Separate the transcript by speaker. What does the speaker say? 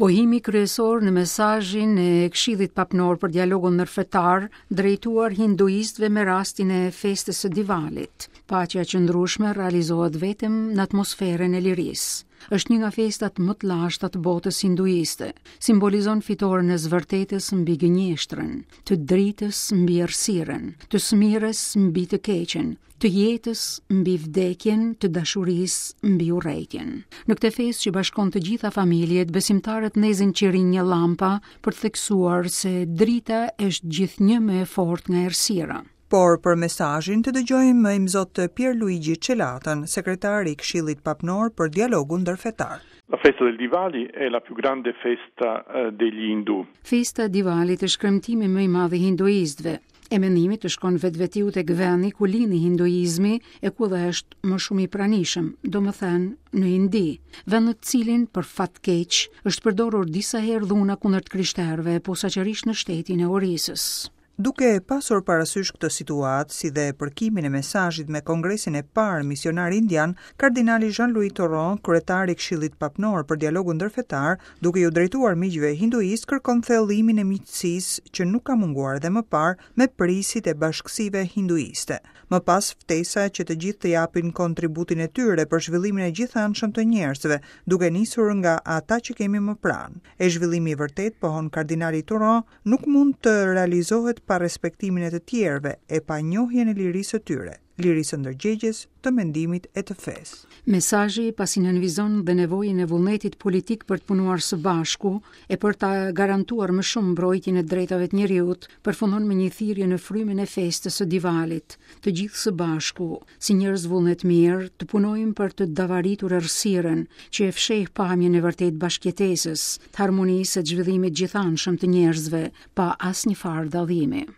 Speaker 1: Pohimi kryesor në mesazhin e Këshillit Papnor për Dialogun Ndërfetar drejtuar hinduistëve me rastin e festës së Divalit. Paqja e qëndrueshme realizohet vetëm në atmosferën e lirisë. Është një nga festat më të lashta të botës hinduiste. Simbolizon fitoren e së vërtetës mbi gënjeshtrën, të dritës mbi errësirën, të së mirës mbi të keqen, të jetës mbi vdekjen, të dashurisë mbi urrejtjen. Në këtë festë që bashkon të gjitha familjet, besimtarët ndezin qirinj e llampa për të theksuar se drita është gjithnjë më e fortë nga errësira.
Speaker 2: Por për mesazhin të dëgjojmë Imzot Pier Luigi Celatën, sekretar i Këshillit Papnor për Dialogun Ndërfetar.
Speaker 3: La festa del Diwali è la più grande festa eh, degli Hindu.
Speaker 1: Festa e Diwalit është kremtimi më i madh i hinduistëve. E mendimi të shkon vetvetiu tek vendi ku lindi hinduizmi e ku dhe është më shumë i pranishëm, domethënë në Indi, vend në të cilin për fat keq është përdorur disa herë dhuna kundër të krishterëve, posaçërisht në shtetin e Orisës.
Speaker 2: Duke pasur parasysh këtë situatë, si dhe përkimin e mesazhit me Kongresin e parë Misionar Indian, kardinali Jean-Louis Tauran, kryetar i Këshillit Papnor për Dialogun Ndërfetar, duke iu drejtuar miqve hinduistë, kërkon thellimin e miqësisë që nuk ka munguar edhe më parë me prijësit e bashkësive hinduiste. Më pas ftesa që të gjithë të japin kontributin e tyre për zhvillimin e gjithanshëm të njerëzve, duke nisur nga ata që kemi më pranë. E zhvillimi i vërtetë, pohon kardinali Tauran, nuk mund të realizohet pa respektimin e të tjerëve e pa njohjen e lirisë së tyre, lirisë së ndërgjegjes, të mendimit e të fesë.
Speaker 1: Mesazhi pasi nënvizon dhe nevojën e vullnetit politik për të punuar së bashku e për ta garantuar më shumë mbrojtjen e drejtave të njeriut, përfundon me një thirrje në frymën e festës së Divalit, të gjithë së bashku, si njerëz vullnetmirë, të punojmë për të davaritur errësirën, që e fsheh pamjen e vërtetë bashkëjetesës, të harmonisë e të zhvillimit gjithanshëm të njerëzve, pa asnjë farë dallimi.